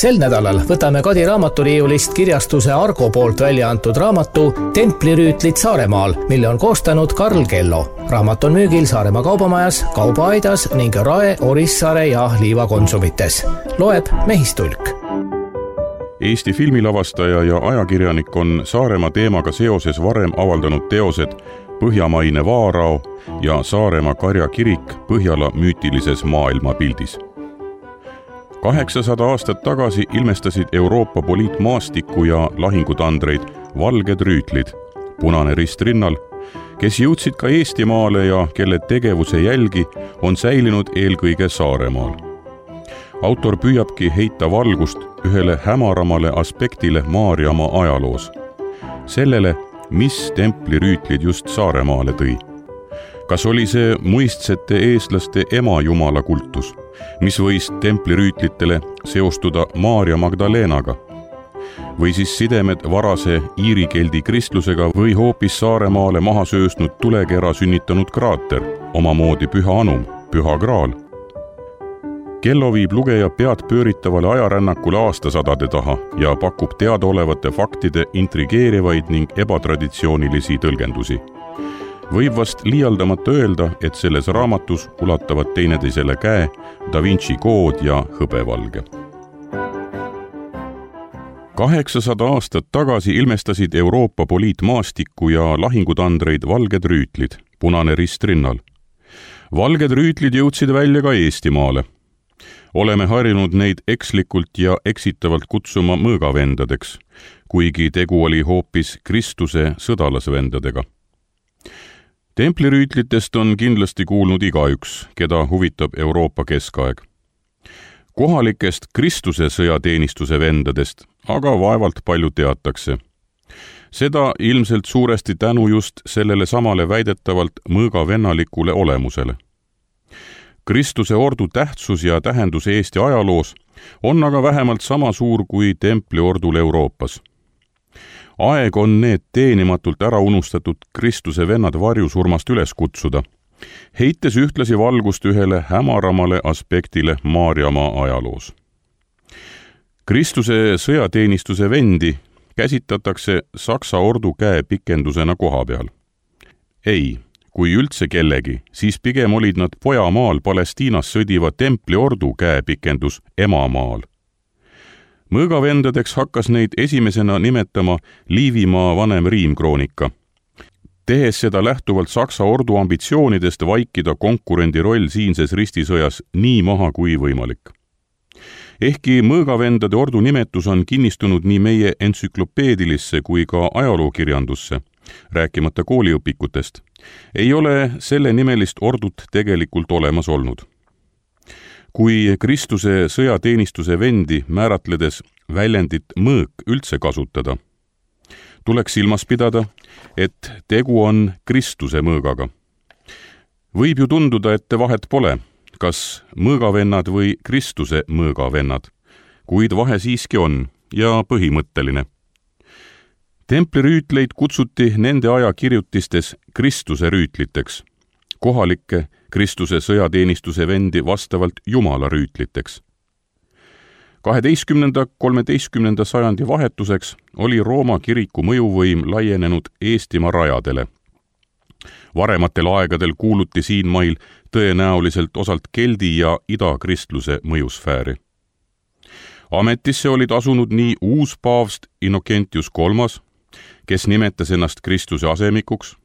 Sel nädalal võtame Kadi raamaturiiulist kirjastuse Argo poolt välja antud raamatu Templirüütlid Saaremaal, mille on koostanud Karl Kello. Raamat on müügil Saaremaa kaubamajas, Kaubaaidas ning Rae, Orissaare ja Liiva konsumites. Loeb Mehistulk. Eesti filmilavastaja ja ajakirjanik on Saaremaa teemaga seoses varem avaldanud teosed Põhjamaine Vaarao ja Saaremaa karjakirik Põhjala müütilises maailmapildis. 800 aastat tagasi ilmestasid Euroopa poliitmaastikku ja lahingutandreid valged rüütlid, Punane Rist rinnal, kes jõudsid ka Eestimaale ja kelle tegevuse jälgi on säilinud eelkõige Saaremaal. Autor püüabki heita valgust ühele hämaramale aspektile Maarjamaa ajaloos. Sellele, mis templirüütlid just Saaremaale tõi. Kas oli see muistsete eestlaste ema jumala kultus, mis võis templirüütlitele seostuda Maarja Magdalenaga? Või siis sidemed varase iirikeldi kristlusega või hoopis Saaremaale maha sööstnud tulekera sünnitanud kraater, omamoodi Püha Anum, Püha Graal? Kello viib lugeja pead pööritavale ajarännakule aastasadade taha ja pakub teadaolevate faktide intrigeerivaid ning ebatraditsioonilisi tõlgendusi. Võib vast liialdamata öelda, et selles raamatus ulatavad teineteisele käe Da Vinci kood ja hõbevalge. 800 aastat tagasi ilmestasid Euroopa poliitmaastikku ja lahingutandreid valged rüütlid, Punane Rist rinnal. Valged rüütlid jõudsid välja ka Eestimaale. Oleme harjunud neid ekslikult ja eksitavalt kutsuma mõõgavendadeks, kuigi tegu oli hoopis Kristuse sõdalasvendadega. Templirüütlitest on kindlasti kuulnud igaüks, keda huvitab Euroopa keskaeg. Kohalikest Kristuse sõjateenistuse vendadest aga vaevalt palju teatakse. Seda ilmselt suuresti tänu just sellele samale väidetavalt mõõgavennalikule olemusele. Kristuse ordu tähtsus ja tähendus Eesti ajaloos on aga vähemalt sama suur kui templiordul Euroopas. Aeg on need teenimatult ära unustatud Kristuse vennad varjusurmast üles kutsuda, heites ühtlasi valgust ühele hämaramale aspektile Maarjamaa ajaloos. Kristuse sõjateenistuse vendi käsitatakse Saksa ordu käepikendusena koha peal. Ei, kui üldse kellegi, siis pigem olid nad pojamaal Palestiinas sõdiva templiordu käepikendus emamaal. Mõõgavendadeks hakkas neid esimesena nimetama Liivimaa vanem Riimkroonika, tehes seda lähtuvalt Saksa ordu ambitsioonidest vaikida konkurendi roll siinses ristisõjas nii maha kui võimalik. Ehkki mõõgavendade ordu nimetus on kinnistunud nii meie entsüklopeedilisse kui ka ajalookirjandusse, rääkimata kooliõpikutest, ei ole selle nimelist ordut tegelikult olemas olnud. Kui Kristuse sõjateenistuse vendi määratledes väljendit mõõk üldse kasutada, tuleks silmas pidada, et tegu on Kristuse mõõgaga. Võib ju tunduda, et vahet pole, kas mõõgavennad või Kristuse mõõgavennad, kuid vahe siiski on ja põhimõtteline. Templirüütleid kutsuti nende aja kirjutistes Kristuse rüütliteks, kohalikke Kristuse sõjateenistuse vendi vastavalt Jumala rüütliteks. 12.–13. sajandi vahetuseks oli Rooma kiriku mõjuvõim laienenud Eestimaa rajadele. Varematel aegadel kuuluti siin mail tõenäoliselt osalt keldi ja idakristluse mõjusfääri. Ametisse olid asunud nii uus paavst Innocentius III, kes nimetas ennast Kristuse asemikuks,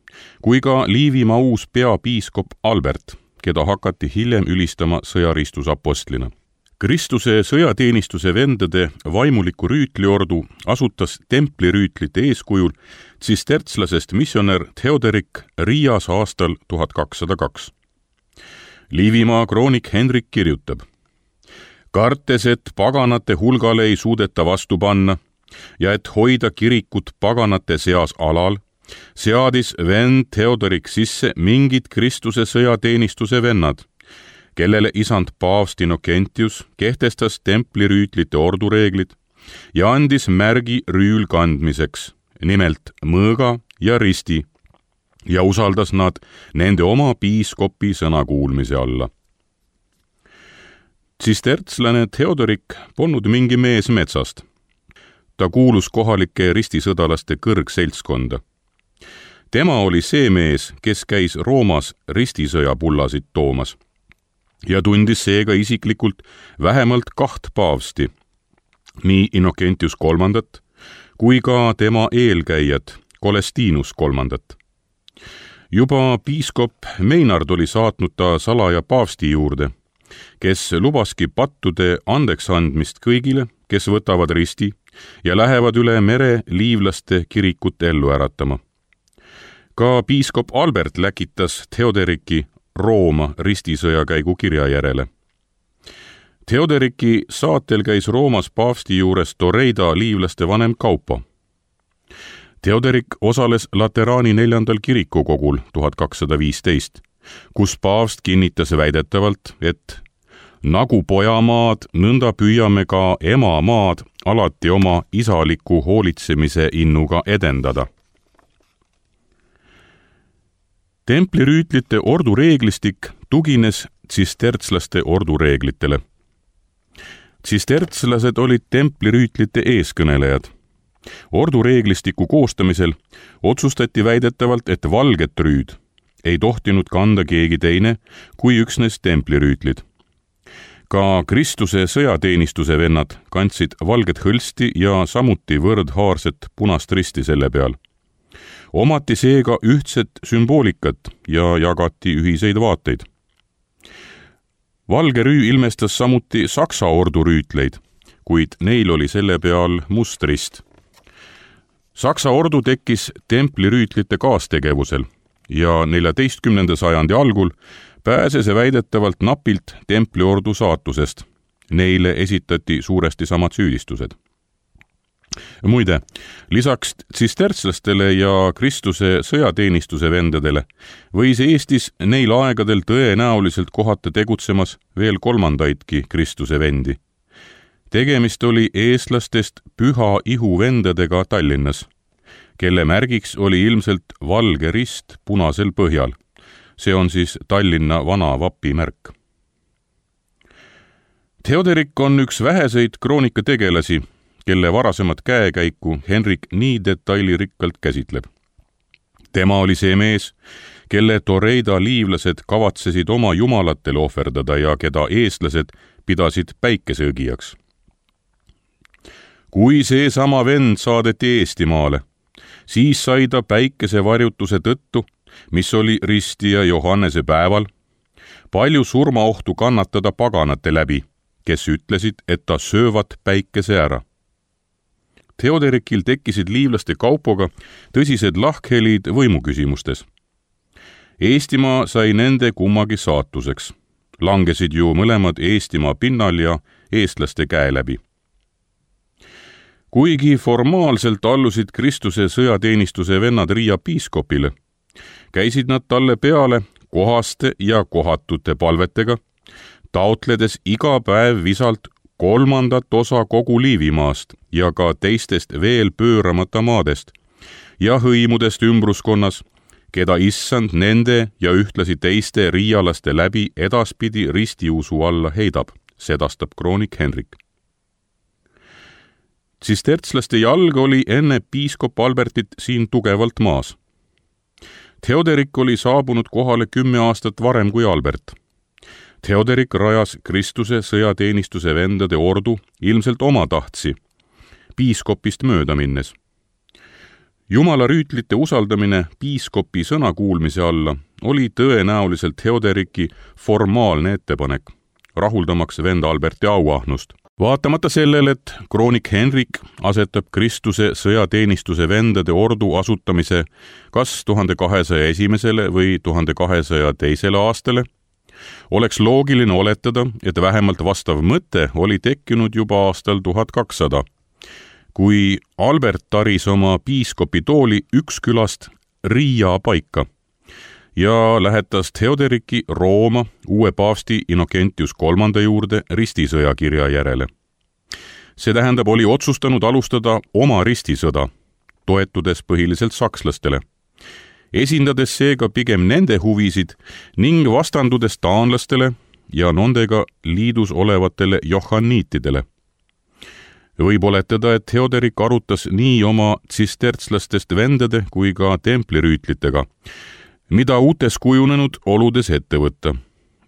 kui ka Liivimaa uus peapiiskop Albert, keda hakati hiljem ülistama sõjaristusapostlina. Kristuse sõjateenistuse vendade vaimuliku rüütliordu asutas templirüütlite eeskujul tsistertslasest missionär Theoderik Riias aastal 1202. Liivimaa kroonik Henrik kirjutab: kartes, et paganate hulgale ei suudeta vastu panna ja et hoida kirikut paganate seas alal, seadis vend Theodorik sisse mingid Kristuse sõjateenistuse vennad, kellele isand paavst Innocentius kehtestas templirüütlite ordureeglid ja andis märgi rüül kandmiseks, nimelt mõõga ja risti, ja usaldas nad nende oma piiskopi sõnakuulmise alla. Tsistertslane Theodorik polnud mingi mees metsast. Ta kuulus kohalike ristisõdalaste kõrgseltskonda. Tema oli see mees, kes käis Roomas ristisõjapullasid toomas ja tundis seega isiklikult vähemalt 2 paavsti, nii Innocentius III kui ka tema eelkäijad Colestinus III. Juba piiskop Meinard oli saatnud ta salaja paavsti juurde, kes lubaski pattude andeks andmist kõigile, kes võtavad risti ja lähevad üle mere liivlaste kirikut ellu äratama. Ka piiskop Albert läkitas Theodoriki Rooma ristisõjakäigu kirja järele. Theodoriki saatel käis Roomas paavsti juures Toreida liivlaste vanem Kaupo. Theodorik osales Lateraani 4. kirikukogul 1215, kus paavst kinnitas väidetavalt, et nagu pojamaad, nõnda püüame ka emamaad alati oma isaliku hoolitsemise innuga edendada. Templirüütlite ordureeglistik tugines tsistertslaste ordureeglitele. Tsistertslased olid templirüütlite eeskõnelejad. Ordureeglistiku koostamisel otsustati väidetavalt, et valget rüüd ei tohtinud kanda keegi teine kui üksnes templirüütlid. Ka Kristuse sõjateenistuse vennad kandsid valget hõlsti ja samuti võrdhaarset punast risti selle peal. Omati seega ühtset sümboolikat ja jagati ühiseid vaateid. Valge rüü ilmestas samuti Saksa ordurüütleid, kuid neil oli selle peal must rist. Saksa ordu tekkis templirüütlite kaastegevusel ja 14. sajandi algul pääses väidetavalt napilt templiordu saatusest. Neile esitati suuresti samad süüdistused. Muide, lisaks tsistertslastele ja Kristuse sõjateenistuse vendadele võis Eestis neil aegadel tõenäoliselt kohata tegutsemas veel 3. Kristuse vendi. Tegemist oli eestlastest Püha Ihu vendadega Tallinnas, kelle märgiks oli ilmselt valge rist punasel põhjal. See on siis Tallinna vana vapimärk. Theodorik on üks väheseid kroonikategelasi, kelle varasemat käekäiku Henrik nii detailirikkalt käsitleb. Tema oli see mees, kelle Toreida liivlased kavatsesid oma jumalatele ohverdada ja keda eestlased pidasid päikeseõgijaks. Kui see sama vend saadeti Eestimaale, siis sai ta päikesevarjutuse tõttu, mis oli Risti ja Johannese päeval, palju surmaohtu kannatada paganate läbi, kes ütlesid, et ta söövad päikese ära. Theodorikil tekkisid liivlaste Kaupoga tõsised lahkhelid võimuküsimustes. Eestimaa sai nende kummagi saatuseks. Langesid ju mõlemad Eestimaa pinnal ja eestlaste käe läbi. Kuigi formaalselt allusid Kristuse sõjateenistuse vennad Riia piiskopile, käisid nad talle peale kohaste ja kohatute palvetega, taotledes iga päev visalt 3. osa kogu Liivimaast ja ka teistest veel pööramata maadest ja hõimudest ümbruskonnas, keda issand nende ja ühtlasi teiste riialaste läbi edaspidi ristiusu alla heidab, sedastab kroonik Henrik. Tsistertslaste jalg oli enne piiskop Albertit siin tugevalt maas. Theodorik oli saabunud kohale 10 aastat varem kui Albert. Theodorik rajas Kristuse sõjateenistuse vendade ordu ilmselt oma tahtsi, piiskopist mööda minnes. Jumala rüütlite usaldamine piiskopi sõna kuulmise alla oli tõenäoliselt Theodoriki formaalne ettepanek, rahuldamaks vend Alberti auahnust. Vaatamata sellele, et kroonik Henrik asetab Kristuse sõjateenistuse vendade ordu asutamise kas 1201. või 1202. aastale, oleks loogiline oletada, et vähemalt vastav mõte oli tekkinud juba aastal 1200, kui Albert taris oma piiskopi tooli Ükskülast Riia paika ja lähetas Theodoriki Rooma uue paavsti Innocentius III juurde ristisõjakirja järele. See tähendab, oli otsustanud alustada oma ristisõda, toetudes põhiliselt sakslastele, esindades seega pigem nende huvisid ning vastandudes taanlastele, ja nendega liidus olevatele johanniitidele. Võib oletada, et Theoderik arutas nii oma tsistertslastest vendade kui ka templirüütlitega, mida uutes kujunenud oludes ette võtta,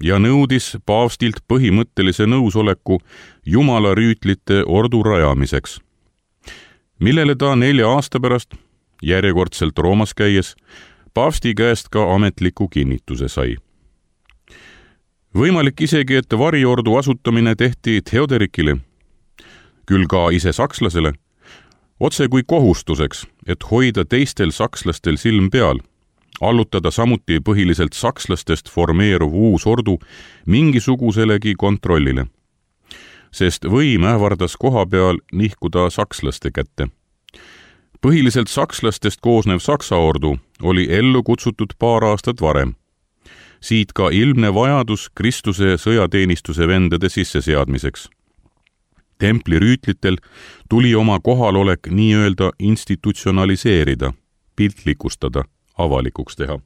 ja nõudis paavstilt põhimõttelise nõusoleku Jumala rüütlite ordu rajamiseks, millele ta 4 aasta pärast, järjekordselt Roomas käies, paavsti käest ka ametliku kinnituse sai. Võimalik isegi, et variordu asutamine tehti Theoderikile, küll ka ise sakslasele, otse kui kohustuseks, et hoida teistel sakslastel silm peal, allutada samuti põhiliselt sakslastest formeeruv uus ordu mingisuguselegi kontrollile, sest võim ähvardas koha peal nihkuda sakslaste kätte. Põhiliselt sakslastest koosnev Saksa ordu oli ellu kutsutud paar aastat varem. Siit ka ilmne vajadus Kristuse sõjateenistuse vendade sisseseadmiseks. Templirüütlitel tuli oma kohalolek nii-öelda institutsionaliseerida, piltlikustada, avalikuks teha.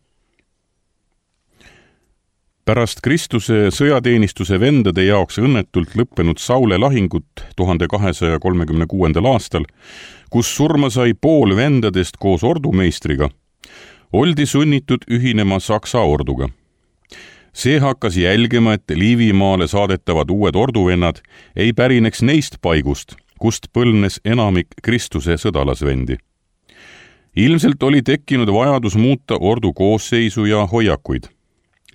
Pärast Kristuse sõjateenistuse vendade jaoks õnnetult lõppenud Saule lahingut 1236. aastal, kus surma sai pool vendadest koos ordumeistriga, oldi sunnitud ühinema Saksa orduga. See hakkas jälgima, et Liivimaale saadetavad uued orduvennad ei pärineks neist paigust, kust põlnes enamik Kristuse sõdalasvendi. Ilmselt oli tekkinud vajadus muuta ordu koosseisu ja hoiakuid.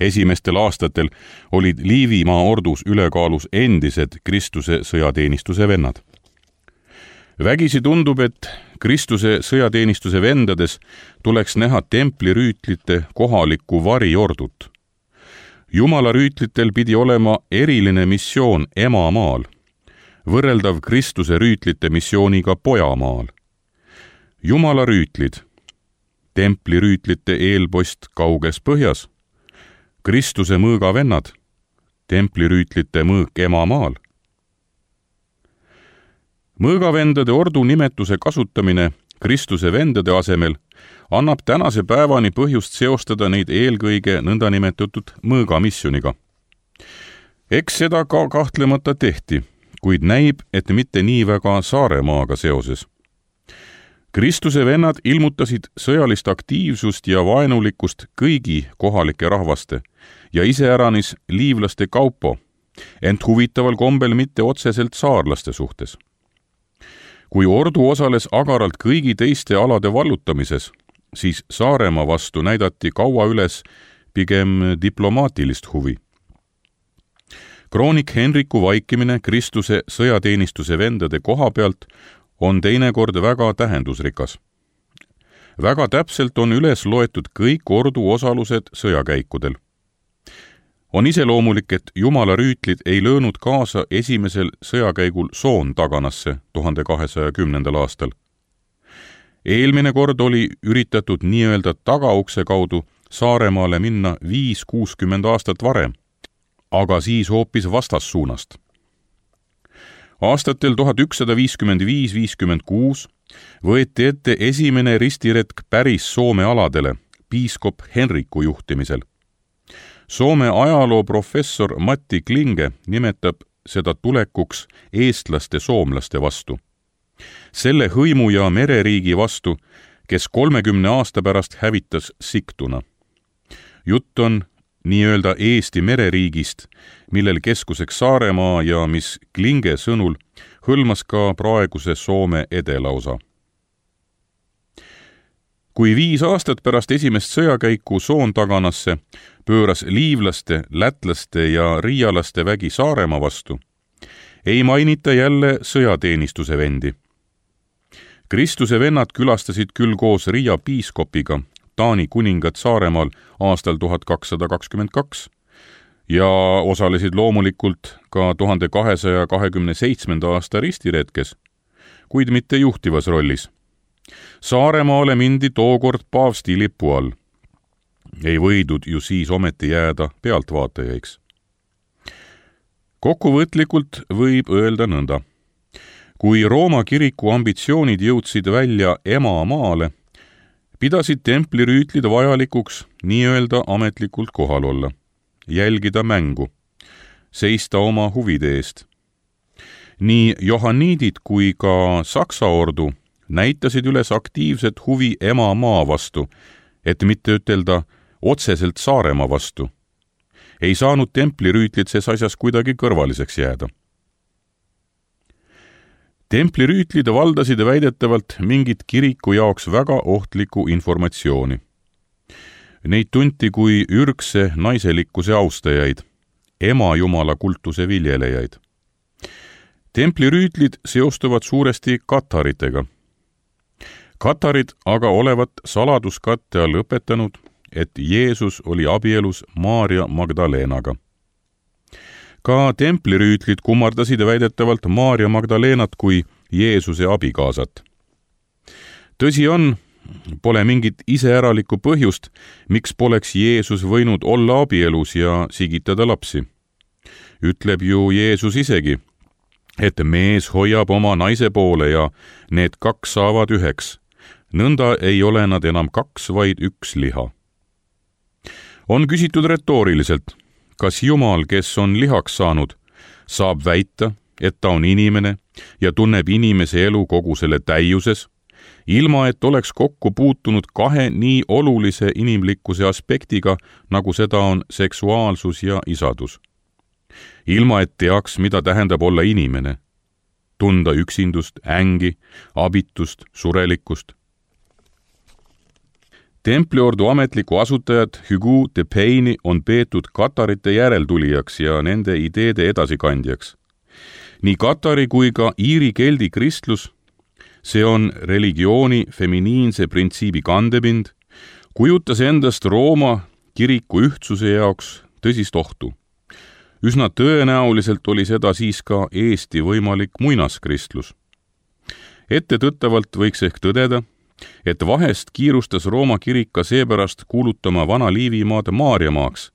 Esimestel aastatel olid Liivimaa ordus ülekaalus endised Kristuse sõjateenistuse vennad. Vägisi tundub, et Kristuse sõjateenistuse vendades tuleks näha templirüütlite kohalikku variordut. Jumala rüütlitel pidi olema eriline missioon emamaal, võrreldav Kristuse rüütlite missiooniga pojamaal. Jumala rüütlid, templirüütlite eelpost kauges põhjas, Kristuse mõõgavennad, templirüütlite mõõk emamaal. Mõõgavendade ordu nimetuse kasutamine Kristuse vendade asemel annab tänase päevani põhjust seostada neid eelkõige nõndanimetatud mõõgamissioniga. Eks seda ka kahtlemata tehti, kuid näib, et mitte nii väga Saaremaaga seoses. Kristuse vennad ilmutasid sõjalist aktiivsust ja vaenulikkust kõigi kohalike rahvaste ja iseäranis liivlaste kaupo, ent huvitaval kombel mitte otseselt saarlaste suhtes. Kui ordu osales agaralt kõigi teiste alade vallutamises, siis Saaremaa vastu näidati kaua üles pigem diplomaatilist huvi. Kroonik Henriku vaikimine Kristuse sõjateenistuse vendade koha pealt on teinekord väga tähendusrikas. Väga täpselt on üles loetud kõik ordu osalused sõjakäikudel. On iseloomulik, et Jumala rüütlid ei löönud kaasa esimesel sõjakäigul Soontaganasse 1210. aastal. Eelmine kord oli üritatud nii-öelda tagaukse kaudu Saaremaale minna 5-60 aastat varem, aga siis hoopis vastassuunast. Aastatel 1155-56 võeti ette esimene ristiretk päris Soome aladele piiskop Henriku juhtimisel. Soome ajaloo professor Matti Klinge nimetab seda tulekuks eestlaste soomlaste vastu. Selle hõimu ja mereriigi vastu, kes 30 aasta pärast hävitas Sigtuna. Jutt on nii-öelda Eesti mereriigist, millel keskuseks Saaremaa ja mis Klinge sõnul hõlmas ka praeguse Soome edelaosa. Kui 5 aastat pärast esimest sõjakäiku Soontaganasse pööras liivlaste, lätlaste ja riialaste vägi Saaremaa vastu, ei mainita jälle sõjateenistuse vendi. Kristuse vennad külastasid küll koos Riia piiskopiga Taani kuningat Saaremaal aastal 1222 ja osalesid loomulikult ka 1227. aasta ristiretkes, kuid mitte juhtivas rollis. Saaremaale mindi tookord paavsti lipu all. Ei võidud ju siis ometi jääda pealtvaatajaiks. Kokkuvõtlikult võib öelda nõnda. Kui Rooma kiriku ambitsioonid jõudsid välja emamaale, pidasid templirüütlid vajalikuks nii-öelda ametlikult kohal olla, jälgida mängu, seista oma huvide eest. Nii johanniidid kui ka Saksa ordu näitasid üles aktiivset huvi emamaa vastu, et mitte ütelda otseselt Saaremaa vastu. Ei saanud templirüütlid ses asjas kuidagi kõrvaliseks jääda. Templirüütlid valdasid väidetavalt mingit kiriku jaoks väga ohtlikku informatsiooni. Neid tunti kui ürgse naiselikkuse austajaid, ema jumala kultuse viljelejaid. Templirüütlid seostuvad suuresti kataritega. Katarid aga olevat saladuskatte all õpetanud, et Jeesus oli abielus Maarja Magdalenaga. Ka templirüütlid kummardasid väidetavalt Maarja Magdalenat kui Jeesuse abikaasat. Tõsi on, pole mingit iseäralikku põhjust, miks poleks Jeesus võinud olla abielus ja sigitada lapsi. Ütleb ju Jeesus isegi, et mees hoiab oma naise poole ja need kaks saavad üheks. Nõnda ei ole nad enam kaks, vaid üks liha. On küsitud retooriliselt, kas Jumal, kes on lihaks saanud, saab väita, et ta on inimene ja tunneb inimese elu kogu selle täiuses, ilma et oleks kokku puutunud kahe nii olulise inimlikkuse aspektiga, nagu seda on seksuaalsus ja isadus. Ilma et teaks, mida tähendab olla inimene, tunda üksindust, ängi, abitust, surelikkust. Templiordu ametliku asutajad Hugo de Payne'i on peetud katarite järeltulijaks ja nende ideede edasikandjaks. Nii katari kui ka iiri keldi kristlus, see on religiooni feminiinse printsiibi kandepind, kujutas endast Rooma kiriku ühtsuse jaoks tõsist ohtu. Üsna tõenäoliselt oli seda siis ka Eesti võimalik muinaskristlus. Ettetõttavalt võiks ehk tõdeda, et vahest kiirustas Rooma kirik ka seepärast kuulutama Vana-Liivimaad Maarjamaaks,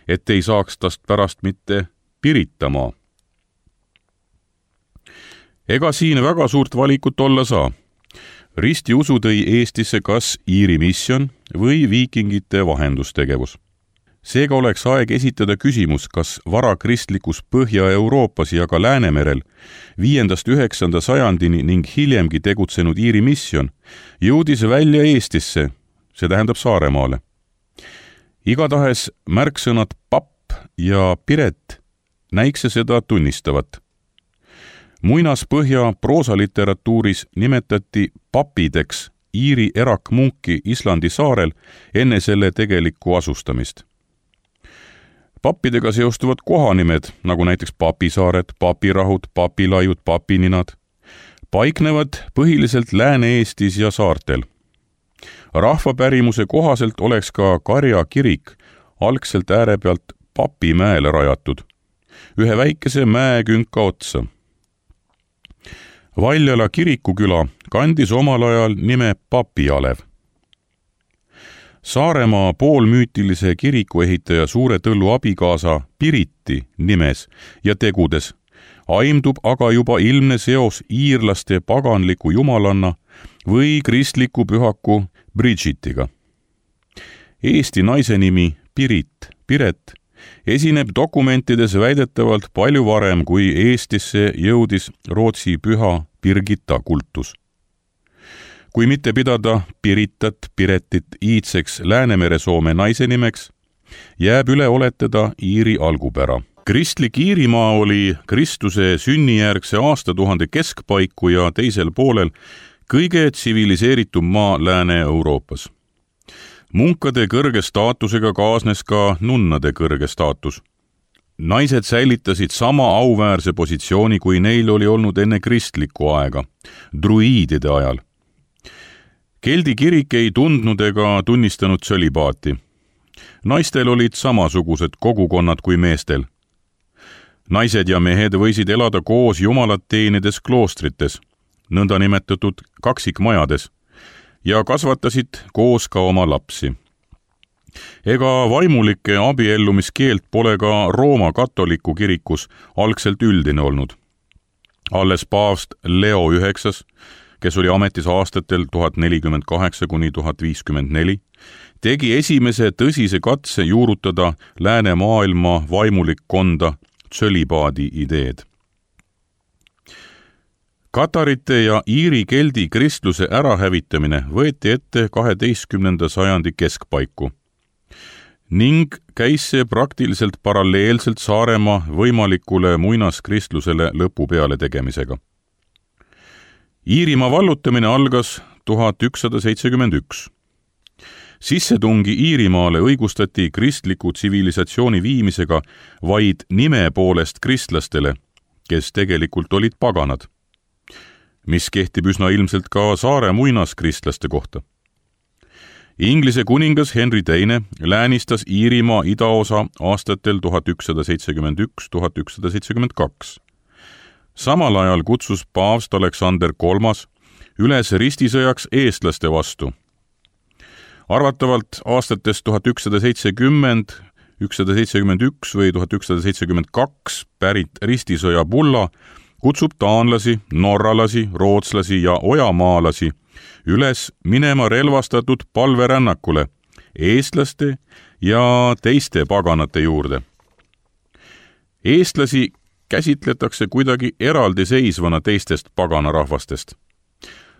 et ei saaks tast pärast mitte Piritamaa. Ega siin väga suurt valikut olla saa. Ristiusu tõi Eestisse kas Iiri misjon või viikingite vahendustegevus. Seega oleks aeg esitada küsimus, kas varakristlikus Põhja-Euroopas ja ka Läänemerel 5.–9. sajandini ning hiljemgi tegutsenud Iiri misjon jõudis välja Eestisse, see tähendab Saaremaale. Igatahes märksõnad papp ja piret näikse seda tunnistavat. Muinaspõhja proosaliteraatuuris nimetati papideks Iiri erakmunki Islandi saarel enne selle tegelikku asustamist. Pappidega seostuvad kohanimed, nagu näiteks Papisaared, Papirahud, Papilaiud, Papininad, paiknevad põhiliselt Lääne-Eestis ja saartel. Rahvapärimuse kohaselt oleks ka Karja kirik algselt ääre pealt Papimäele rajatud, ühe väikese mäekünka otsa. Valjala kirikuküla kandis omal ajal nime Papialev. Saaremaa poolmüütilise kirikuehitaja Suure Tõllu abikaasa Piriti nimes ja tegudes aimdub aga juba ilmne seos iirlaste paganliku jumalanna või kristliku pühaku Bridgetiga. Eesti naise nimi Piret esineb dokumentides väidetavalt palju varem, kui Eestisse jõudis Rootsi püha Birgitta kultus. Kui mitte pidada Piretit iidseks Läänemere-Soome naise nimeks, jääb üle oletada Iiri algupära. Kristlik Iirimaa oli Kristuse sünnijärgse aastatuhande keskpaiku ja teisel poolel kõige tsiviliseeritum maa Lääne-Euroopas. Munkade kõrge staatusega kaasnes ka nunnade kõrge staatus. Naised säilitasid sama auväärse positsiooni, kui neil oli olnud enne kristlikku aega, druiidide ajal. Keldi kirik ei tundnud ega tunnistanud tsölibaati. Naistel olid samasugused kogukonnad kui meestel. Naised ja mehed võisid elada koos jumalat teenides kloostrites, nõnda nimetatud kaksikmajades, ja kasvatasid koos ka oma lapsi. Ega vaimulike abiellumiskeelt pole ka Rooma katoliku kirikus algselt üldine olnud. Alles paavst Leo IX, kes oli ametis aastatel 1048–1054, tegi esimese tõsise katse juurutada läänemaailma vaimulikkonda tsölibaadi ideed. Katarite ja Iiri keldi kristluse ärahävitamine võeti ette 12. sajandi keskpaiku ning käis see praktiliselt paralleelselt Saaremaa võimalikule muinaskristlusele lõpu peale tegemisega. Iirimaa vallutamine algas 1171. Sissetungi Iirimaale õigustati kristliku tsivilisatsiooni viimisega vaid nime poolest kristlastele, kes tegelikult olid paganad, mis kehtib üsna ilmselt ka Saare muinaskristlaste kohta. Inglise kuningas Henry II läänistas Iirimaa idaosa aastatel 1171–1172. Samal ajal kutsus paavst Aleksander III üles ristisõjaks eestlaste vastu. Arvatavalt aastatest 1170, 1171 või 1172 pärit ristisõja bulla kutsub taanlasi, norralasi, rootslasi ja ojamaalasi üles minema relvastatud palverännakule eestlaste ja teiste paganate juurde. Eestlasi käsitletakse kuidagi eraldiseisvana teistest paganarahvastest.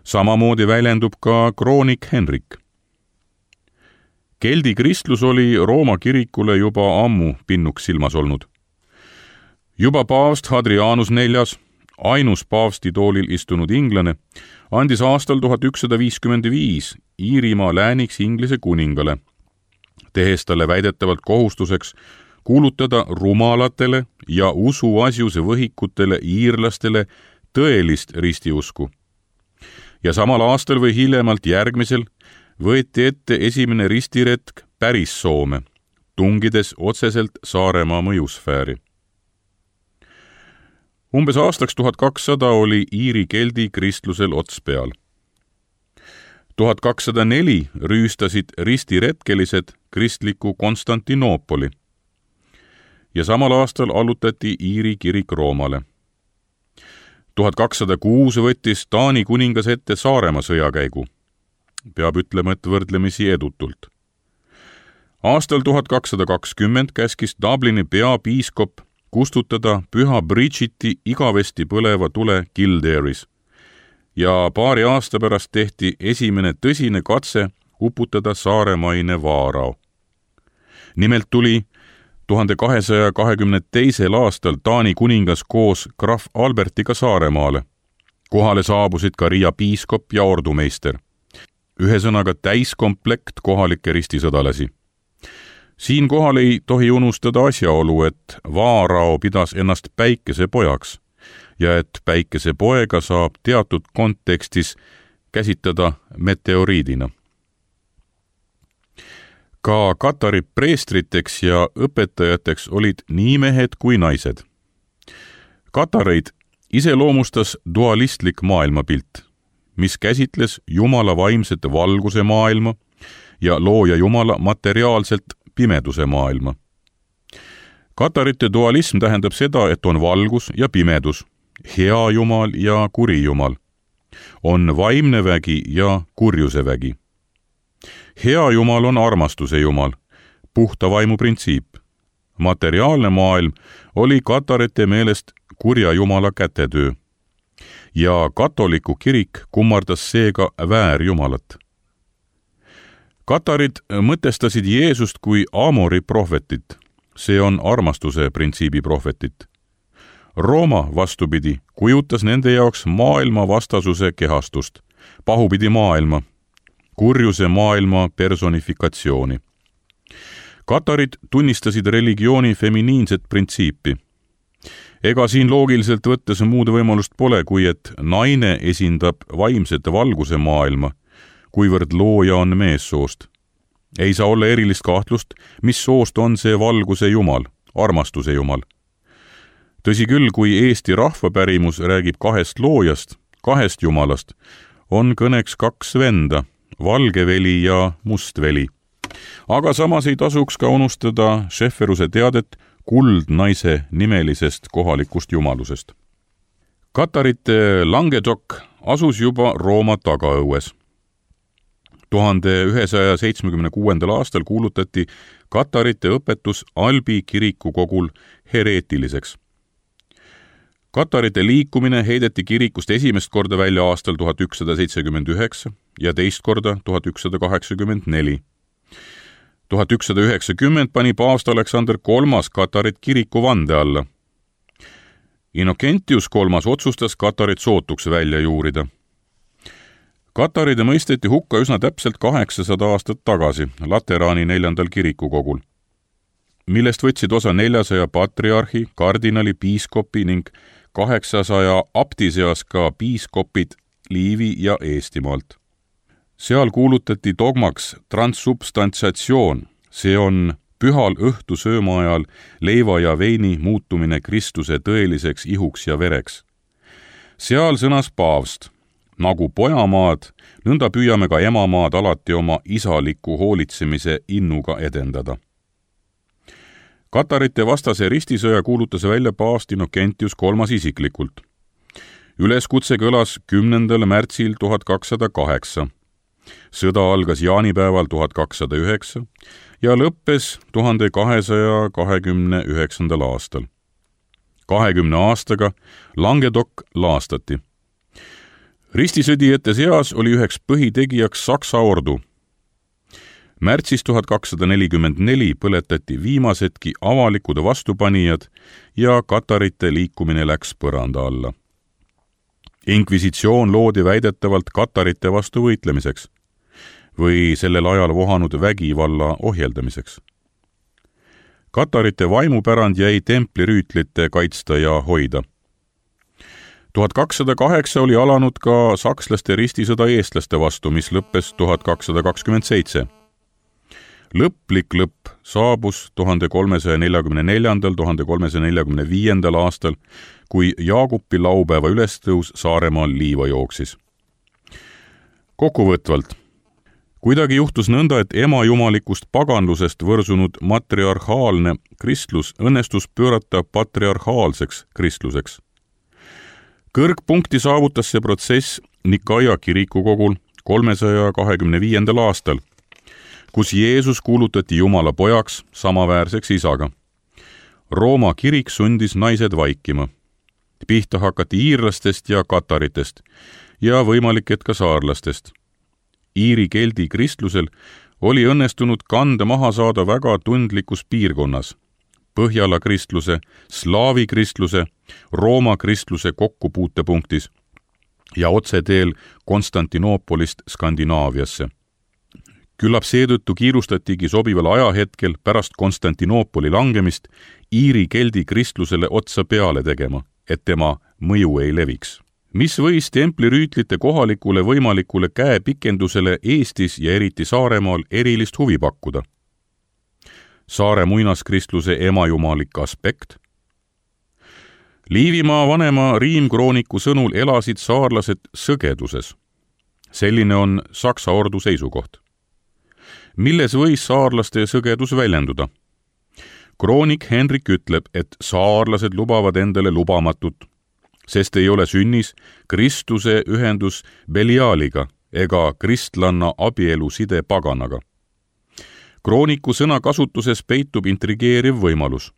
Samamoodi väljendub ka kroonik Henrik. Keldi kristlus oli Rooma kirikule juba ammu pinnuks silmas olnud. Juba paavst Hadrianus IV, ainus paavstitoolil istunud inglane, andis aastal 1155 Iirimaa lääniks Inglise kuningale, tehes talle väidetavalt kohustuseks kuulutada rumalatele ja usuasjuse võhikutele iirlastele tõelist ristiusku. Ja samal aastal või hiljemalt järgmisel võeti ette esimene ristiretk päris Soome, tungides otseselt Saaremaa mõjusfääri. Umbes aastaks 1200 oli Iiri keldi kristlusel ots peal. 1204 rüüstasid ristiretkelised kristliku Konstantinoopoli ja samal aastal allutati Iiri kirik Roomale. 1206 võttis Taani kuningas ette Saaremaa sõjakäigu. Peab ütlema, et võrdlemisi edutult. Aastal 1220 käskis Dublini peapiiskop kustutada püha Bridgeti igavesti põleva tule Kildare'is ja paari aasta pärast tehti esimene tõsine katse uputada saaremaine vaarao. Nimelt tuli 1222. aastal Taani kuningas koos krahv Albertiga Saaremaale. Kohale saabusid ka Riia piiskop ja ordumeister. Ühesõnaga täiskomplekt kohalikke ristisõdalasi. Siinkohal ei tohi unustada asjaolu, et vaarao pidas ennast päikesepojaks ja et päikesepoega saab teatud kontekstis käsitada meteoriidina. Ka Katari preestriteks ja õpetajateks olid nii mehed kui naised. Katareid iseloomustas dualistlik maailmapilt, mis käsitles Jumala vaimset valguse maailma ja looja Jumala materiaalselt pimeduse maailma. Katarite dualism tähendab seda, et on valgus ja pimedus, hea Jumal ja kuri Jumal, on vaimne vägi ja kurjuse vägi. Hea Jumal on armastuse Jumal, puhta vaimu printsiip. Materiaalne maailm oli katarite meelest kurja Jumala kätetöö ja katoliku kirik kummardas seega väärjumalat. Katarid mõtestasid Jeesust kui Amori prohvetit, see on armastuse printsiibi prohvetit. Rooma vastupidi kujutas nende jaoks maailma vastasuse kehastust, pahupidi maailma, kurjuse maailma personifikatsiooni. Katarid tunnistasid religiooni feminiinset printsiipi. Ega siin loogiliselt võttes muud võimalust pole, kui et naine esindab vaimsete valguse maailma, kuivõrd looja on meessoost. Ei saa olla erilist kahtlust, mis soost on see valguse Jumal, armastuse Jumal. Tõsi küll, kui Eesti rahvapärimus räägib kahest loojast, kahest Jumalast, on kõneks kaks venda, valgeveli ja mustveli. Aga samas ei tasuks ka unustada Schefferuse teadet kuldnaise nimelisest kohalikust jumalusest. Katarite Languedoc asus juba Rooma tagaõues. 1176. aastal kuulutati katarite õpetus Albi kirikukogul hereetiliseks Katarite liikumine heideti kirikust esimest korda välja aastal 1179 ja teist korda 1184. 1190 pani paavst Aleksander III Katarit kiriku vande alla. Innocentius III otsustas Katarit sootuks välja juurida. Kataride mõisteti hukka üsna täpselt 800 aastat tagasi Lateraani 4. kirikukogul, millest võtsid osa 400 patriarhi, kardinali, piiskopi ning 800 abdi seas ka piiskopid Liivi ja Eestimaalt. Seal kuulutati dogmaks transsubstantsiatsioon, see on pühal õhtusööma ajal leiva ja veini muutumine Kristuse tõeliseks ihuks ja vereks. Seal sõnas paavst: nagu pojamaad, nõnda püüame ka emamaad alati oma isaliku hoolitsemise innuga edendada. Katarite vastase ristisõja kuulutas välja paavst Innocentius III isiklikult. Üleskutse kõlas 10. märtsil 1208. Sõda algas jaanipäeval 1209 ja lõppes 1229. aastal. 20 aastaga Languedoc laastati. Ristisõdijate seas oli üheks põhitegijaks Saksa ordu. Märtsis 1244 põletati viimasedki avalikud vastupanijad ja Katarite liikumine läks põranda alla. Inkvisitsioon loodi väidetavalt Katarite vastu võitlemiseks või sellel ajal vohanud vägivalla ohjeldamiseks. Katarite vaimupärand jäi templirüütlite kaitsta ja hoida. 1208 oli alanud ka sakslaste ristisõda eestlaste vastu, mis lõppes 1227. Lõplik lõpp saabus 1344-1345 aastal, kui Jaagupi laupäeva ülestõus Saaremaal liiva jooksis. Kokkuvõtvalt, kuidagi juhtus nõnda, et emajumalikust paganlusest võrsunud matriarhaalne kristlus õnnestus pöörata patriarhaalseks kristluseks. Kõrgpunkti saavutas see protsess Nikaia kirikukogul 325. aastal, kus Jeesus kuulutati Jumala pojaks samaväärseks isaga. Rooma kirik sundis naised vaikima. Pihta hakati iirlastest ja kataritest ja võimalik, et ka saarlastest. Iiri keldi kristlusel oli õnnestunud kanda maha saada väga tundlikus piirkonnas. Põhjala kristluse, slaavi kristluse, Rooma kristluse kokkupuutepunktis ja otseteel Konstantinoopolist Skandinaaviasse. Küllap seetõttu kiirustatigi sobival ajahetkel pärast Konstantinoopoli langemist Iiri keldi kristlusele otsa peale tegema, et tema mõju ei leviks. Mis võis templirüütlite kohalikule võimalikule käepikendusele Eestis ja eriti Saaremaal erilist huvi pakkuda? Saare muinaskristluse emajumalik aspekt? Liivimaa vanema riimkrooniku sõnul elasid saarlased sõgeduses. Selline on Saksa ordu seisukoht. Milles võis saarlaste sõgedus väljenduda? Kroonik Henrik ütleb, et saarlased lubavad endale lubamatut, sest ei ole sünnis Kristuse ühendus Beliaaliga ega kristlanna abielu side paganaga. Krooniku sõnakasutuses peitub intrigeeriv võimalus.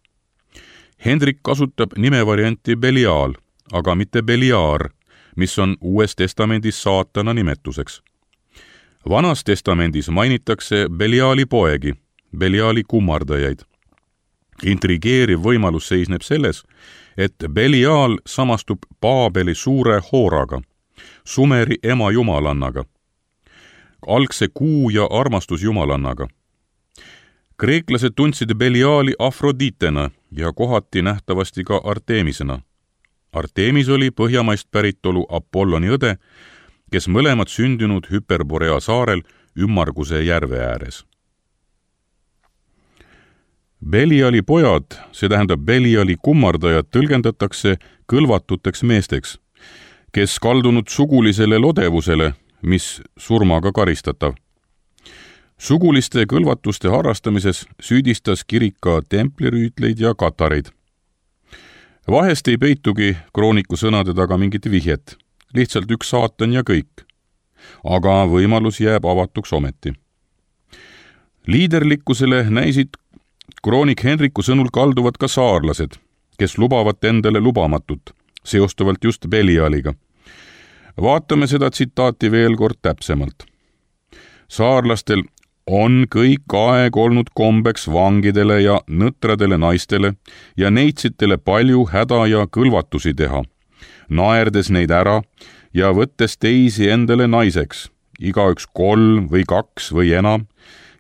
Hendrik kasutab nimevarianti Belial, aga mitte Beliar, mis on Uues testamendis saatana nimetuseks. Vanas testamendis mainitakse Beliali poegi, Beliali kummardajaid. Intrigeeriv võimalus seisneb selles, et Belial samastub Paabeli suure hooraga, Sumeri ema jumalannaga, algse kuu- ja armastusjumalannaga. Kreeklased tundsid Beliali Afroditena ja kohati nähtavasti ka Artemisena. Artemis oli põhjamaist päritolu Apolloni õde, kes mõlemad sündinud Hyperborea saarel Ümmarguse järve ääres. Beliali pojad, see tähendab Beliali kummardajad, tõlgendatakse kõlvatuteks meesteks, kes kaldunud sugulisele lodevusele, mis surmaga karistatav. Suguliste kõlvatuste harrastamises süüdistas kirik ka templirüütleid ja katareid. Vahest ei peitugi krooniku sõnade taga mingit vihjet, lihtsalt üks saatan ja kõik. Aga võimalus jääb avatuks ometi. Liiderlikkusele näisid kroonik Henriku sõnul kalduvad ka saarlased, kes lubavad endale lubamatut, seostuvalt just Belialiga. Vaatame seda tsitaati veel kord täpsemalt. Saarlastel on kõik aeg olnud kombeks vangidele ja nõtradele naistele ja neitsitele palju häda ja kõlvatusi teha, naerdes neid ära ja võttes teisi endale naiseks, igaüks 3 või 2 või enam,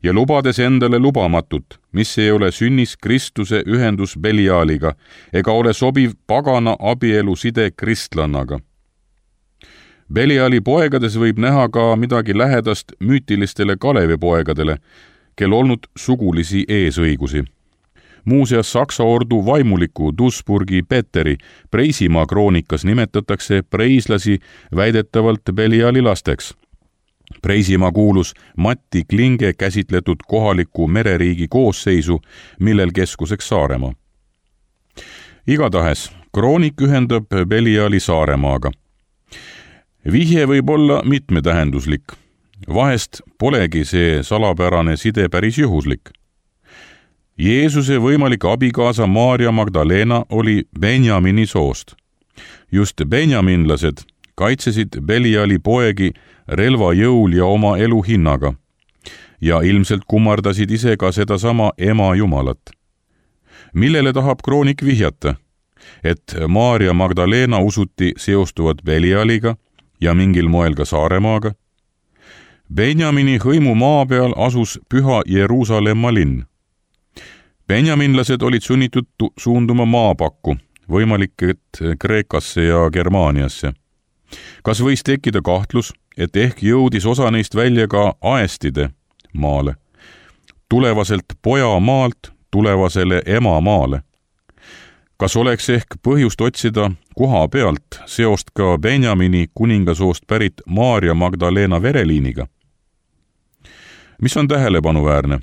ja lubades endale lubamatut, mis ei ole sünnis Kristuse ühendus Belialiga ega ole sobiv pagana abielu side kristlannaga. Beliali poegades võib näha ka midagi lähedast müütilistele Kalevi poegadele, kel olnud sugulisi eesõigusi. Muuseas, Saksa ordu vaimuliku Duisburgi Peteri Preisimaa kroonikas nimetatakse preislasi väidetavalt Beliali lasteks. Preisimaa kuulus Matti Klinge käsitletud kohaliku mereriigi koosseisu, millel keskuseks Saaremaa. Igatahes, kroonik ühendab Beliali Saaremaaga. Vihje võib olla mitmetähenduslik. Vahest polegi see salapärane side päris juhuslik. Jeesuse võimalik abikaasa Maarja Magdalena oli Benjamini soost. Just benjaminlased kaitsesid Beliali poegi relva jõul ja oma elu hinnaga ja ilmselt kummardasid ise ka sedasama ema Jumalat. Millele tahab kroonik vihjata? Et Maarja Magdalena usuti seostuvat Belialiga ja mingil moel ka Saaremaaga. Benjamini hõimu maa peal asus püha Jeruusalemma linn. Benjaminlased olid sunnitud suunduma maapakku, võimalik, et Kreekasse ja Germaaniasse. Kas võis tekkida kahtlus, et ehk jõudis osa neist välja ka Aestide maale, tulevaselt poja maalt tulevasele ema maale? Kas oleks ehk põhjust otsida koha pealt seost ka Benjamini kuningasoost pärit Maarja Magdalena vereliiniga? Mis on tähelepanuväärne?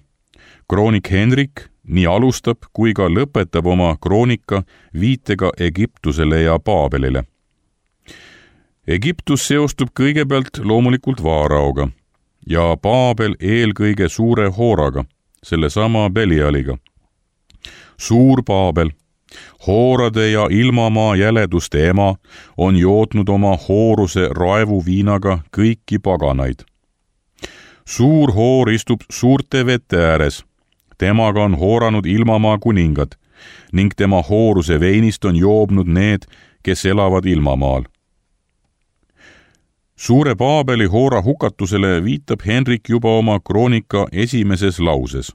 Kroonik Henrik nii alustab kui ka lõpetab oma kroonika viitega Egiptusele ja Paabelile. Egiptus seostub kõigepealt loomulikult Vaaraoga ja Paabel eelkõige suure Hooraga, sellesama Belialiga. Suur Paabel, Hoorade ja ilmamaa jäleduste ema, on jootnud oma hooruse raevuviinaga kõiki paganaid. Suur Hoor istub suurte vete ääres, temaga on hooranud ilmamaa kuningad ning tema hooruse veinist on joobnud need, kes elavad ilmamaal. Suure Paabeli Hoora hukatusele viitab Henrik juba oma kroonika esimeses lauses.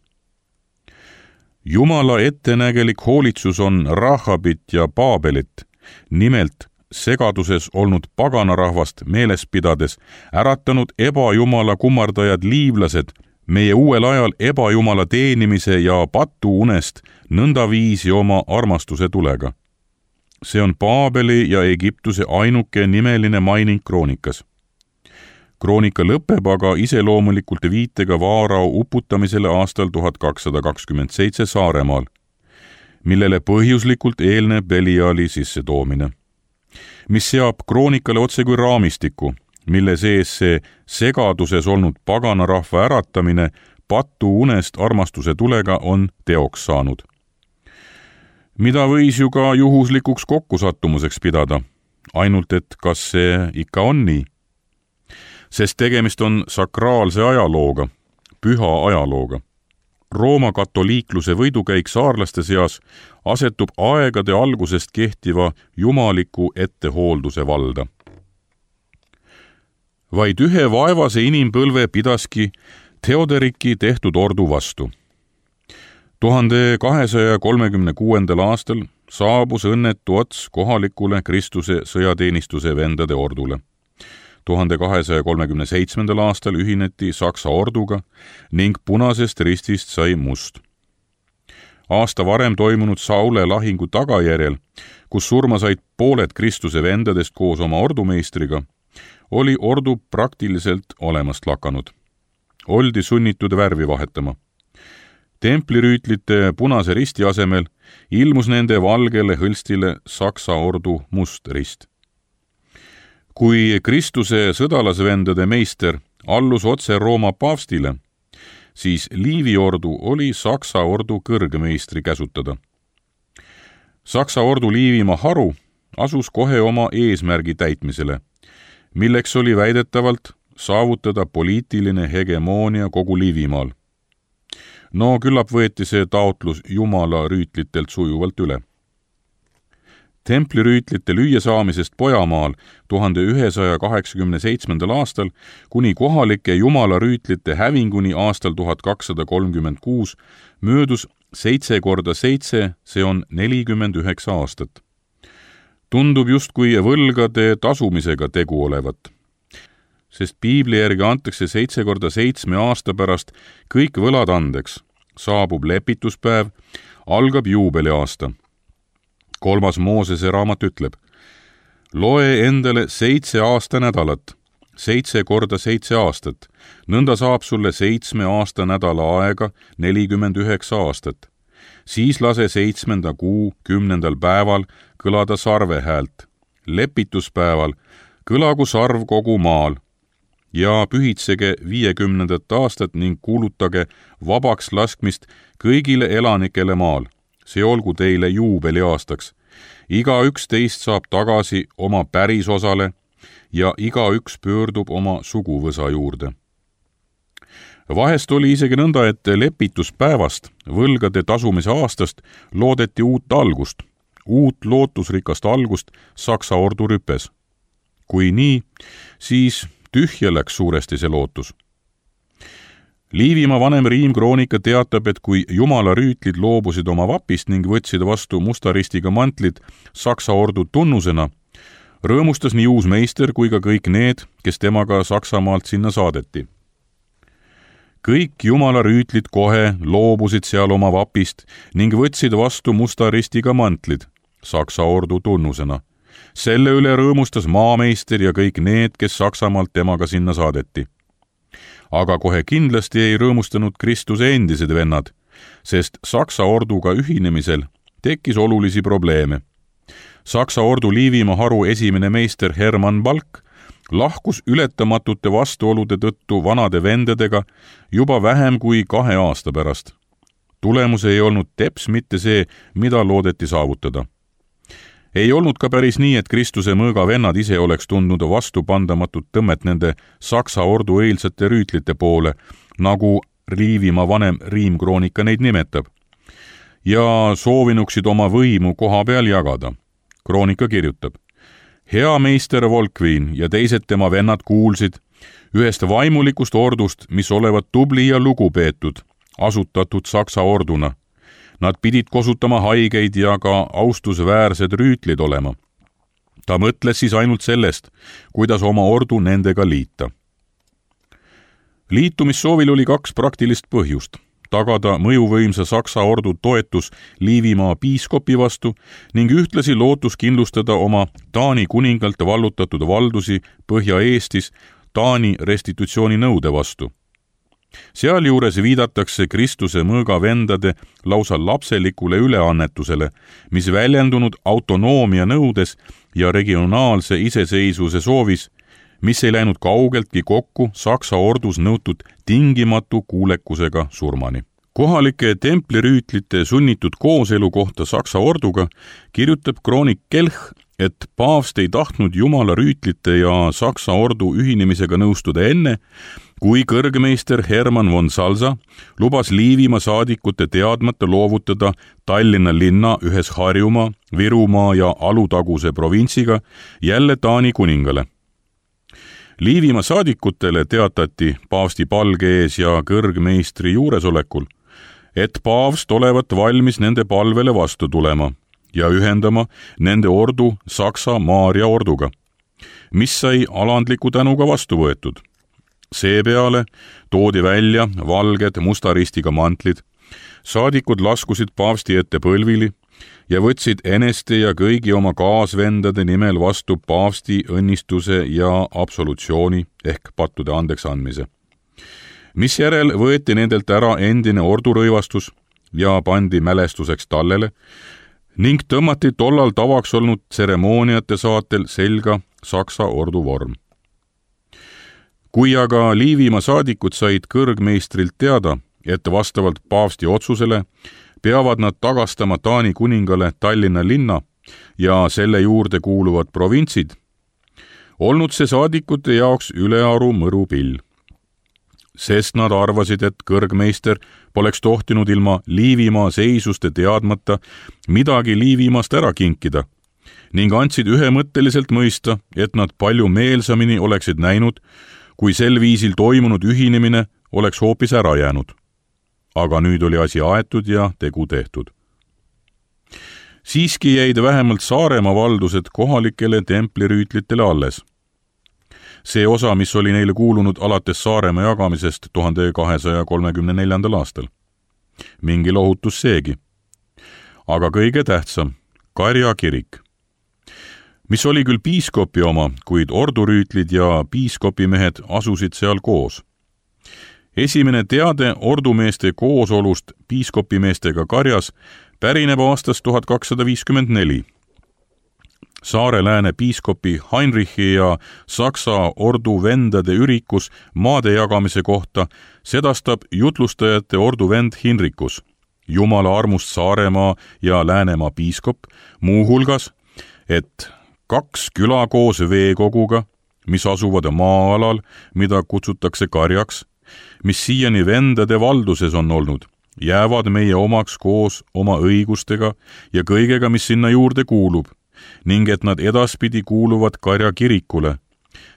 Jumala ettenägelik hoolitsus on Rahabit ja Paabelit, nimelt segaduses olnud paganarahvast meeles pidades äratanud ebajumala kummardajad liivlased meie uuel ajal ebajumala teenimise ja patuunest nõndaviisi oma armastuse tulega. See on Paabeli ja Egiptuse ainuke nimeline maining kroonikas. Kroonika lõpeb aga iseloomulikult viitega Vaarao uputamisele aastal 1227 Saaremaal, millele põhjuslikult eelneb Beliali sissetoomine, mis seab kroonikale otse kui raamistiku, mille sees see segaduses olnud paganarahva äratamine patuunest armastuse tulega on teoks saanud. Mida võis ju ka juhuslikuks kokkusattumuseks pidada, ainult et kas see ikka on nii? Sest tegemist on sakraalse ajalooga, püha ajalooga. Rooma katoliikluse võidukäik saarlaste seas asetub aegade algusest kehtiva jumaliku ettehoolduse valda. Vaid ühe vaevase inimpõlve pidaski Theoderiki tehtud ordu vastu. 1236. aastal saabus õnnetu ots kohalikule Kristuse sõjateenistuse vendade ordule. 1237. aastal ühineti Saksa orduga ning Punasest Ristist sai must. Aasta varem toimunud Saule lahingu tagajärjel, kus surma said pooled Kristuse vendadest koos oma ordumeistriga, oli ordu praktiliselt olemast lakanud. Oldi sunnitud värvi vahetama. Templirüütlite Punase risti asemel ilmus nende valgele hõlstile Saksa ordu must rist. Kui Kristuse sõdalasvendade meister allus otse Rooma paavstile, siis Liivi ordu oli Saksa ordu kõrgmeistri käsutada. Saksa ordu Liivimaa haru asus kohe oma eesmärgi täitmisele, milleks oli väidetavalt saavutada poliitiline hegemoonia kogu Liivimaal. No küllap võeti see taotlus Jumala rüütlitelt sujuvalt üle. Templirüütlite lüüasaamisest Pojamaal 1187. aastal kuni kohalike Jumala rüütlite hävinguni aastal 1236 möödus 7 korda 7, see on 49 aastat. Tundub justkui võlgade tasumisega tegu olevat, sest piibli järgi antakse 7 korda 7 aasta pärast kõik võlad andeks, saabub lepituspäev, algab juubeliaasta. 3. Moosese raamat ütleb: loe endale 7 aastanädalat, 7 korda 7 aastat, nõnda saab sulle 7 aastanädala aega 49 aastat. Siis lase 7. kuu 10. päeval kõlada sarve häält. Lepituspäeval kõlagu sarv kogu maal ja pühitsege 50. aastat ning kuulutage vabaks laskmist kõigile elanikele maal. See olgu teile juubeliaastaks. Igaüks teist saab tagasi oma pärisosale ja igaüks pöördub oma suguvõsa juurde. Vahest oli isegi nõnda, et lepituspäevast, võlgade tasumise aastast loodeti uut algust, uut lootusrikast algust Saksa ordu rüpes. Kui nii, siis tühja läks suuresti see lootus. Liivimaa vanem riimkroonika teatab, et kui Jumala rüütlid loobusid oma vapist ning võtsid vastu musta ristiga mantlid Saksa ordu tunnusena, rõõmustas nii uus meister kui ka kõik need, kes temaga Saksamaalt sinna saadeti. Kõik Jumala rüütlid kohe loobusid seal oma vapist ning võtsid vastu musta ristiga mantlid Saksa ordu tunnusena. Selle üle rõõmustas maameister ja kõik need, kes Saksamaalt temaga sinna saadeti. Aga kohe kindlasti ei rõõmustanud Kristuse endised vennad, sest Saksa orduga ühinemisel tekkis olulisi probleeme. Saksa ordu Liivimaa haru esimene meister Hermann Balk lahkus ületamatute vastuolude tõttu vanade vendadega juba vähem kui 2 aasta pärast. Tulemus ei olnud teps mitte see, mida loodeti saavutada. Ei olnud ka päris nii, et Kristuse mõõga vennad ise oleks tundnud vastupandamatut tõmmet nende Saksa ordu eilsate rüütlite poole, nagu Liivimaa vanem riimkroonika neid nimetab, ja soovinuksid oma võimu koha peal jagada. Kroonika kirjutab: hea meister Volkviin ja teised tema vennad kuulsid ühest vaimulikust ordust, mis olevat tubli ja lugupeetud, asutatud Saksa orduna. Nad pidid kosutama haigeid ja ka austusväärsed rüütlid olema. Ta mõtles siis ainult sellest, kuidas oma ordu nendega liita. Liitumissoovil oli 2 praktilist põhjust: tagada mõjuvõimsa Saksa ordu toetus Liivimaa piiskopi vastu ning ühtlasi lootus kindlustada oma Taani kuningalt vallutatud valdusi Põhja-Eestis Taani restitutsiooni nõude vastu. Sealjuures viidatakse Kristuse mõõga vendade lausa lapselikule üleannetusele, mis väljendunud autonoomia nõudes ja regionaalse iseseisvuse soovis, mis ei läinud kaugeltki kokku Saksa ordus nõutud tingimatu kuulekusega surmani. Kohalike templirüütlite sunnitud kooselu kohta Saksa orduga kirjutab kroonik Kelch, et paavst ei tahtnud Jumala rüütlite ja Saksa ordu ühinemisega nõustuda enne, kui kõrgmeister Hermann von Salza lubas Liivimaa saadikute teadmata loovutada Tallinna linna ühes Harjumaa, Virumaa ja Alutaguse provintsiga jälle Taani kuningale. Liivimaa saadikutele teatati paavsti palge ees ja kõrgmeistri juuresolekul, et paavst olevat valmis nende palvele vastu tulema ja ühendama nende ordu Saksa Maaria orduga, mis sai alandliku tänuga vastu võetud. Seepeale toodi välja valged musta ristiga mantlid, saadikud laskusid paavsti ette põlvili ja võtsid eneste ja kõigi oma kaasvendade nimel vastu paavsti õnnistuse ja absolutsiooni ehk pattude andeks andmise. Misjärel võeti nendelt ära endine ordurõivastus ja pandi mälestuseks tallele ning tõmmati tollal tavaks olnud tseremooniate saatel selga Saksa ordu vorm. Kui aga Liivimaa saadikud said kõrgmeistrilt teada, et vastavalt paavsti otsusele peavad nad tagastama Taani kuningale Tallinna linna, ja selle juurde kuuluvad provintsid, olnud see saadikute jaoks ülearu mõrupill. Sest nad arvasid, et kõrgmeister poleks tohtinud ilma Liivimaa seisuste teadmata midagi Liivimaast ära kinkida ning andsid ühemõtteliselt mõista, et nad palju meelsamini oleksid näinud, kui sel viisil toimunud ühinemine oleks hoopis ära jäänud. Aga nüüd oli asi aetud ja tegu tehtud. Siiski jäid vähemalt Saaremaa valdused kohalikele templirüütlitele alles. See osa, mis oli neile kuulunud alates Saaremaa jagamisest 1234. aastal. Mingi lohutus seegi. Aga kõige tähtsam, Karja kirik, mis oli küll piiskopi oma, kuid ordurüütlid ja piiskopimehed asusid seal koos. Esimene teade ordumeeste koosolust piiskopimeestega Karjas pärineb aastast 1254. Saare-Lääne piiskopi Heinrichi ja Saksa ordu vendade ürikus maade jagamise kohta sedastab jutlustajate ordu vend Hinrikus, Jumala armust Saaremaa ja Läänemaa piiskop, muuhulgas, et 2 küla koos veekoguga, mis asuvad maa-alal, mida kutsutakse Karjaks, mis siiani vendade valduses on olnud, jäävad meie omaks koos oma õigustega ja kõigega, mis sinna juurde kuulub, ning et nad edaspidi kuuluvad Karja kirikule,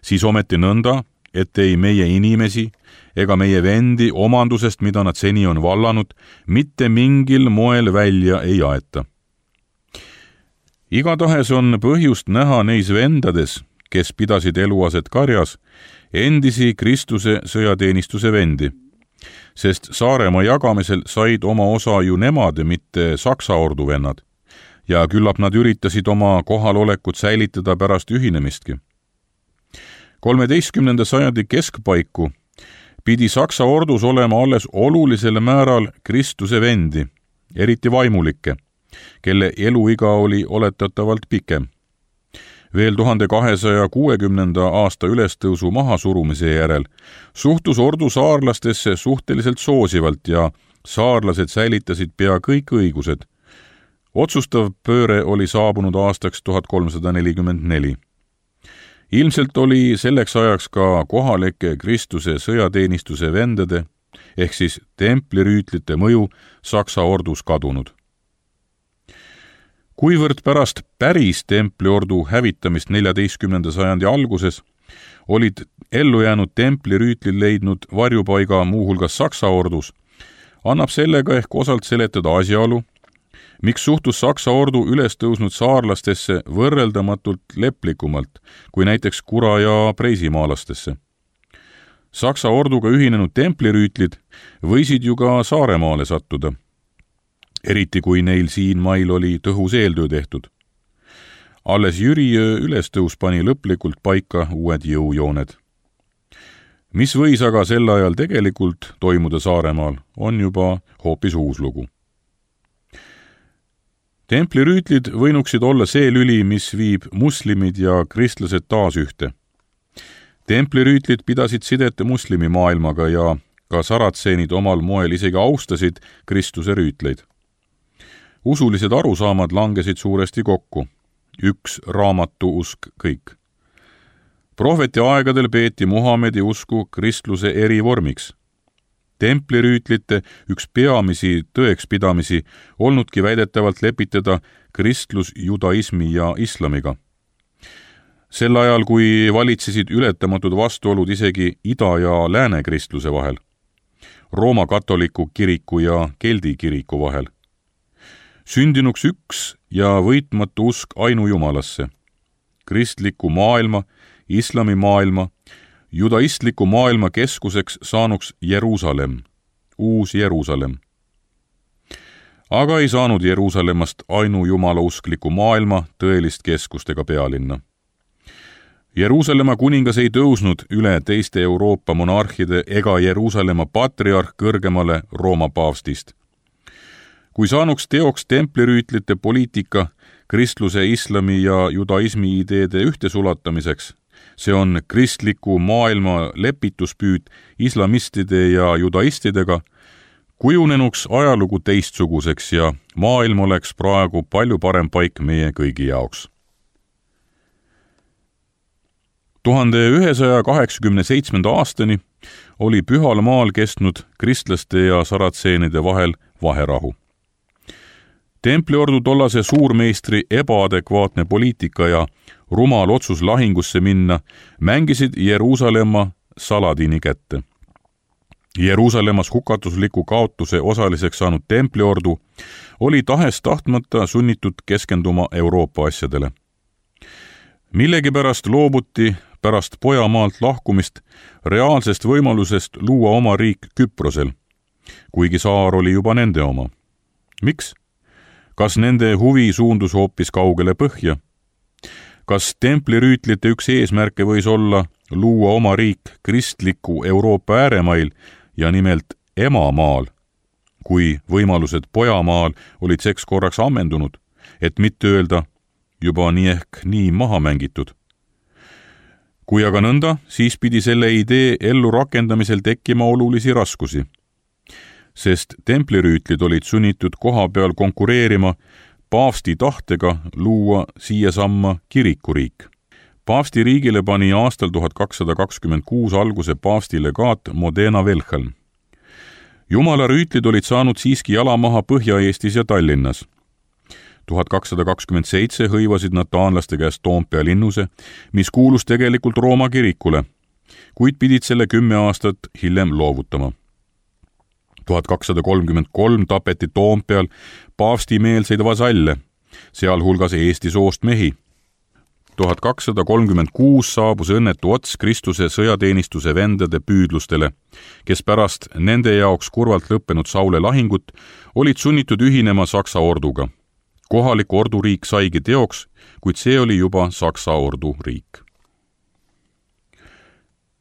siis ometi nõnda, et ei meie inimesi ega meie vendi omandusest, mida nad seni on vallanud, mitte mingil moel välja ei aeta. Igatahes on põhjust näha neis vendades, kes pidasid eluaset Karjas, endisi Kristuse sõjateenistuse vendi, sest Saaremaa jagamisel said oma osa ju nemad, mitte Saksa orduvennad, ja küllap nad üritasid oma kohalolekut säilitada pärast ühinemistki. 13. sajandi keskpaiku pidi Saksa ordus olema alles olulisel määral Kristuse vendi, eriti vaimulikke, kelle eluiga oli oletatavalt pikem. Veel 1260. aasta ülestõusu mahasurumise järel suhtus ordu saarlastesse suhteliselt soosivalt ja saarlased säilitasid pea kõik õigused. Otsustav pööre oli saabunud aastaks 1344. Ilmselt oli selleks ajaks ka kohalike Kristuse sõjateenistuse vendade ehk siis templirüütlite mõju Saksa ordus kadunud. Kuivõrd pärast päris templiordu hävitamist 14. sajandi alguses olid ellu jäänud templirüütlid leidnud varjupaiga muuhulgas Saksa ordus, annab sellega ehk osalt seletada asjaolu, miks suhtus Saksa ordu üles tõusnud saarlastesse võrreldamatult leplikumalt kui näiteks Kura- ja Preisimaalastesse. Saksa orduga ühinenud templirüütlid võisid ju ka Saaremaale sattuda, eriti kui neil siin mail oli tõhus eeltöö tehtud. Alles Jüriöö ülestõus pani lõplikult paika uued jõujooned. Mis võis aga sel ajal tegelikult toimuda Saaremaal, on juba hoopis uus lugu. Templirüütlid võinuksid olla see lüli, mis viib muslimid ja kristlased taas ühte. Templirüütlid pidasid sidet muslimi maailmaga ja ka saratseenid omal moel isegi austasid Kristuse rüütleid. Usulised arusaamad langesid suuresti kokku. Üks raamatu usk kõik. Prohveti aegadel peeti Muhamedi usku kristluse eri vormiks. Templirüütlite üks peamisi tõekspidamisi olnudki väidetavalt lepitada kristlus judaismi ja islamiga. Sel ajal, kui valitsesid ületamatud vastuolud isegi ida- ja lääne kristluse vahel, Rooma katoliku kiriku ja keldi kiriku vahel, sündinuks üks ja võitmatu usk ainujumalasse, kristliku maailma, islami maailma, judaistliku maailma keskuseks saanuks Jeruusalemm, uus Jeruusalemm. Aga ei saanud Jeruusalemmast ainujumala-uskliku maailma tõelist keskust ega pealinna. Jeruusalemma kuningas ei tõusnud üle teiste Euroopa monarhide ega Jeruusalemma patriarh kõrgemale Rooma paavstist. Kui saanuks teoks templirüütlite poliitika kristluse, islami ja judaismi ideede ühtesulatamiseks, see on kristliku maailma lepituspüüd islamistide ja judaistidega, kujunenuks ajalugu teistsuguseks ja maailm oleks praegu palju parem paik meie kõigi jaoks. 1187. aastani oli Pühal maal kestnud kristlaste ja saratseenide vahel vaherahu. Templiordu tollase suurmeistri ebaadekvaatne poliitika ja rumal otsus lahingusse minna mängisid Jeruusalemma Saladini kätte. Jeruusalemmas hukatusliku kaotuse osaliseks saanud Templiordu oli tahes tahtmata sunnitud keskenduma Euroopa asjadele. Millegipärast loobuti pärast Pojamaalt lahkumist reaalsest võimalusest luua oma riik Küprosel, kuigi saar oli juba nende oma. Miks? Kas nende huvi suundus hoopis kaugele põhja? Kas templirüütlite üks eesmärke võis olla luua oma riik kristliku Euroopa ääremail ja nimelt Emamaal, kui võimalused Pojamaal olid seks korraks ammendunud, et mitte öelda juba nii ehk nii maha mängitud? Kui aga nõnda, siis pidi selle idee ellu rakendamisel tekkima olulisi raskusi, sest templirüütlid olid sunnitud koha peal konkureerima paavsti tahtega luua siiasamma kirikuriik. Paavsti riigile pani aastal 1226 alguse paavsti legaat Modena Velhelm. Jumala rüütlid olid saanud siiski jalamaha Põhja-Eestis ja Tallinnas. 1227 hõivasid nad taanlaste käest Toompea linnuse, mis kuulus tegelikult Rooma kirikule, kuid pidid selle 10 aastat hiljem loovutama. 1233 tapeti Toompeal paavstimeelseid vasalle, sealhulgas Eesti soost mehi. 1236 saabus õnnetu ots Kristuse sõjateenistuse vendade püüdlustele, kes pärast nende jaoks kurvalt lõppenud Saule lahingut olid sunnitud ühinema Saksa orduga. Kohalik orduriik saigi teoks, kuid see oli juba Saksa orduriik.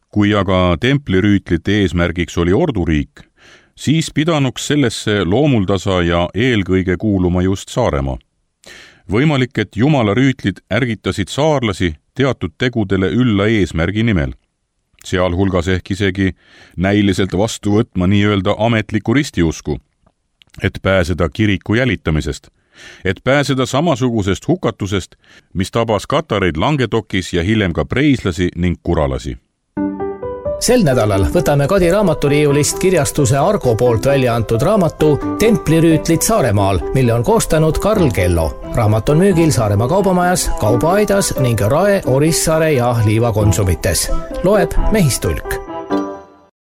Kui aga templirüütlite eesmärgiks oli orduriik, siis pidanuks sellesse loomuldasa ja eelkõige kuuluma just Saaremaa. Võimalik, et Jumala rüütlid ärgitasid saarlasi teatud tegudele ülla eesmärgi nimel, sealhulgas ehk isegi näiliselt vastu võtma nii-öelda ametliku ristiusku, et pääseda kiriku jälitamisest, et pääseda samasugusest hukatusest, mis tabas katareid Langetokis ja hiljem ka preislasi ning kuralasi. Sel nädalal võtame Kadi raamaturiiulist kirjastuse Argo poolt välja antud raamatu Templirüütlid Saaremaal, mille on koostanud Karl Kello. Raamat on müügil Saaremaa kaubamajas, Kaubaaidas ning Rae, Orissaare ja Liiva konsumites. Loeb Mehistulk.